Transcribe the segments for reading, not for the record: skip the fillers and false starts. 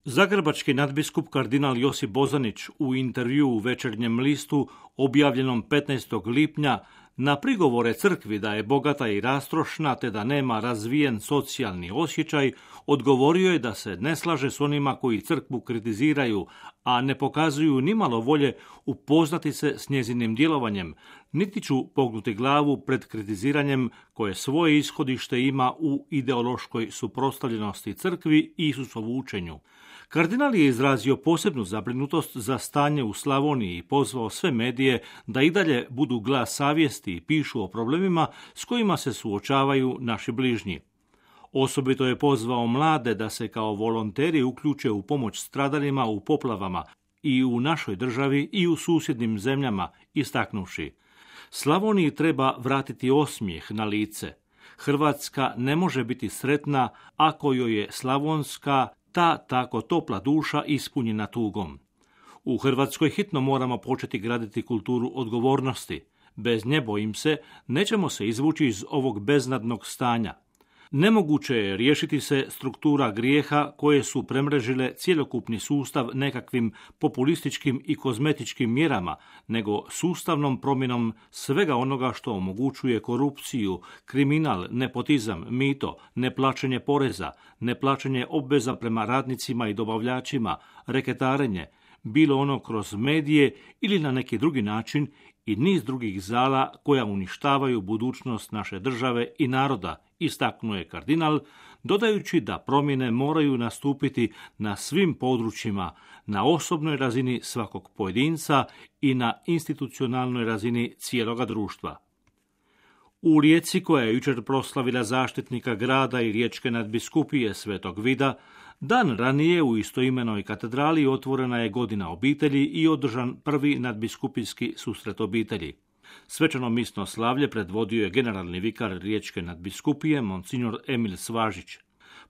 Zagrebački nadbiskup kardinal Josip Bozanić u intervjuu u Večernjem listu objavljenom 15. lipnja na prigovore crkvi da je bogata i rastrošna te da nema razvijen socijalni osjećaj, odgovorio je da se ne slaže s onima koji crkvu kritiziraju, a ne pokazuju nimalo volje upoznati se s njezinim djelovanjem, niti ću pognuti glavu pred kritiziranjem koje svoje ishodište ima u ideološkoj suprotstavljenosti crkvi i Isusovu učenju. Kardinal je izrazio posebnu zabrinutost za stanje u Slavoniji i pozvao sve medije da i dalje budu glas savjesti i pišu o problemima s kojima se suočavaju naši bližnji. Osobito je pozvao mlade da se kao volonteri uključe u pomoć stradalima u poplavama i u našoj državi i u susjednim zemljama, istaknuvši: Slavoniji treba vratiti osmijeh na lice. Hrvatska ne može biti sretna ako joj je slavonska ta tako topla duša ispunjena tugom. U Hrvatskoj hitno moramo početi graditi kulturu odgovornosti. Bez nje, bojim se, nećemo se izvući iz ovog beznadnog stanja. Nemoguće je riješiti se struktura grijeha koje su premrežile cjelokupni sustav nekakvim populističkim i kozmetičkim mjerama, nego sustavnom promjenom svega onoga što omogućuje korupciju, kriminal, nepotizam, mito, neplaćanje poreza, neplaćanje obveza prema radnicima i dobavljačima, reketarenje, bilo ono kroz medije ili na neki drugi način, i niz drugih zala koja uništavaju budućnost naše države i naroda, istaknuo je kardinal, dodajući da promjene moraju nastupiti na svim područjima, na osobnoj razini svakog pojedinca i na institucionalnoj razini cijeloga društva. U Rijeci, koja je jučer proslavila zaštitnika grada i riječke nadbiskupije Svetog Vida, dan ranije u istoimenoj katedrali otvorena je godina obitelji i održan prvi nadbiskupijski susret obitelji. Svečano misno slavlje predvodio je generalni vikar riječke nadbiskupije, monsignor Emil Svažić.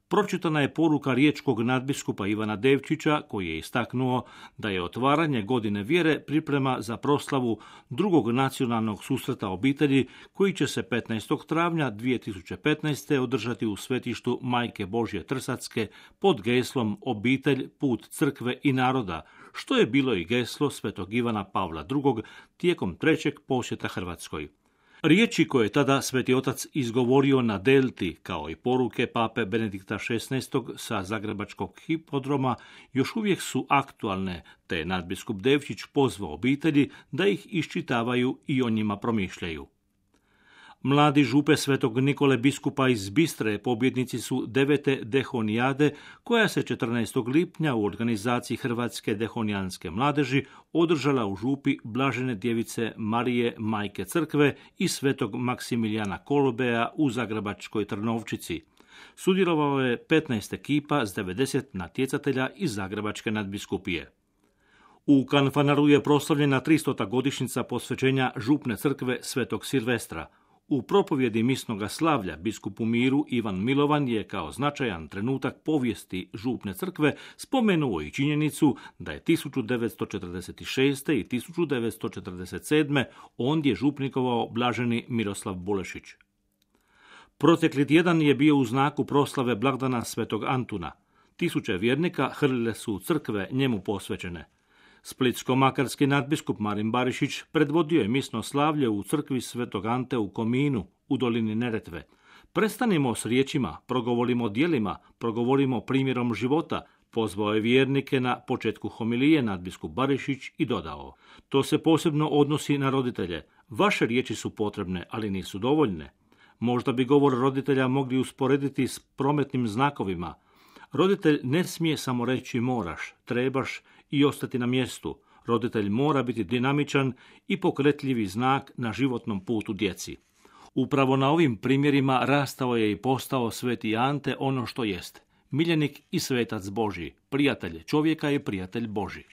Pročitana je poruka riječkog nadbiskupa Ivana Devčića, koji je istaknuo da je otvaranje godine vjere priprema za proslavu drugog nacionalnog susreta obitelji koji će se 15. travnja 2015. održati u svetištu Majke Božje Trsatske pod geslom Obitelj, put crkve i naroda, što je bilo i geslo svetog Ivana Pavla II. Tijekom trećeg posjeta Hrvatskoj. Riječi koje je tada Sveti Otac izgovorio na Delti, kao i poruke pape Benedikta XVI. Sa Zagrebačkog hipodroma, još uvijek su aktualne, te je nadbiskup Devčić pozvao obitelji da ih iščitavaju i o njima promišljaju. Mladi župe Svetog Nikole biskupa iz Bistre pobjednici su 9. dehonijade, koja se 14. lipnja u organizaciji Hrvatske dehonijanske mladeži održala u župi Blažene djevice Marije Majke Crkve i Svetog Maksimilijana Kolobeja u Zagrebačkoj Trnovčici. Sudjelovalo je 15 ekipa s 90 natjecatelja iz Zagrebačke nadbiskupije. U Kanfanaru je proslavljena 300. godišnjica posvećenja župne crkve Svetog Silvestra. U propovjedi misnoga slavlja biskup u miru Ivan Milovan je kao značajan trenutak povijesti župne crkve spomenuo i činjenicu da je 1946. i 1947. ondje župnikovao blaženi Miroslav Bulešić. Protekli tjedan je bio u znaku proslave blagdana Svetog Antuna. Tisuće vjernika hrlile su u crkve njemu posvećene. Splitsko-makarski nadbiskup Marin Barišić predvodio je misno slavlje u crkvi Svetog Ante u Kominu, u dolini Neretve. Prestanimo s riječima, progovorimo djelima, progovorimo primjerom života, pozvao je vjernike na početku homilije nadbiskup Barišić i dodao: to se posebno odnosi na roditelje. Vaše riječi su potrebne, ali nisu dovoljne. Možda bi govor roditelja mogli usporediti s prometnim znakovima. Roditelj ne smije samo reći moraš, trebaš i ostati na mjestu. Roditelj mora biti dinamičan i pokretljivi znak na životnom putu djeci. Upravo na ovim primjerima rastao je i postao Sveti Ante ono što jest: miljenik i svetac Božji, prijatelj čovjeka i prijatelj Božji.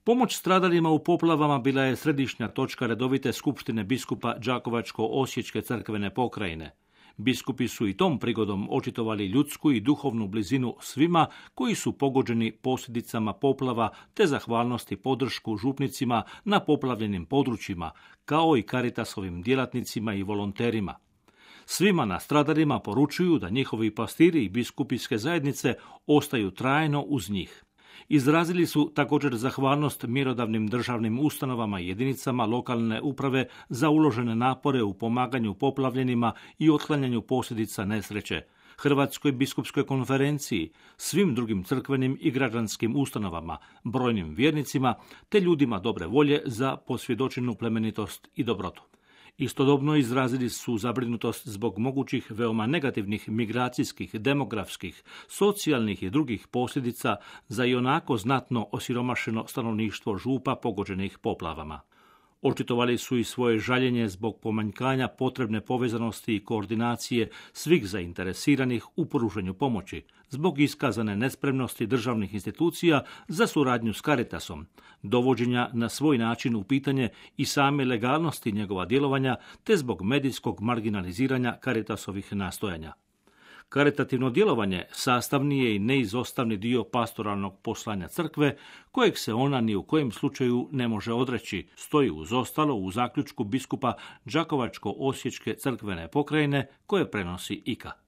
Pomoć stradalima u poplavama bila je središnja točka redovite skupštine biskupa Đakovačko-osječke crkvene pokrajine. Biskupi su i tom prigodom očitovali ljudsku i duhovnu blizinu svima koji su pogođeni posljedicama poplava, te zahvalnost i podršku župnicima na poplavljenim područjima, kao i Caritasovim djelatnicima i volonterima. Svima nastradanima poručuju da njihovi pastiri i biskupijske zajednice ostaju trajno uz njih. Izrazili su također zahvalnost mjerodavnim državnim ustanovama i jedinicama lokalne uprave za uložene napore u pomaganju poplavljenima i otklanjanju posljedica nesreće, Hrvatskoj biskupskoj konferenciji, svim drugim crkvenim i građanskim ustanovama, brojnim vjernicima te ljudima dobre volje za posvjedočenu plemenitost i dobrotu. Istodobno izrazili su zabrinutost zbog mogućih veoma negativnih migracijskih, demografskih, socijalnih i drugih posljedica za ionako znatno osiromašeno stanovništvo župa pogođenih poplavama. Očitovali su i svoje žaljenje zbog pomanjkanja potrebne povezanosti i koordinacije svih zainteresiranih u pružanju pomoći, zbog iskazane nespremnosti državnih institucija za suradnju s Caritasom, dovođenja na svoj način u pitanje i same legalnosti njegova djelovanja, te zbog medijskog marginaliziranja Caritasovih nastojanja. Karitativno djelovanje sastavni je i neizostavni dio pastoralnog poslanja crkve, kojeg se ona ni u kojem slučaju ne može odreći, stoji uz ostalo u zaključku biskupa Đakovačko-osječke crkvene pokrajine koje prenosi IKA.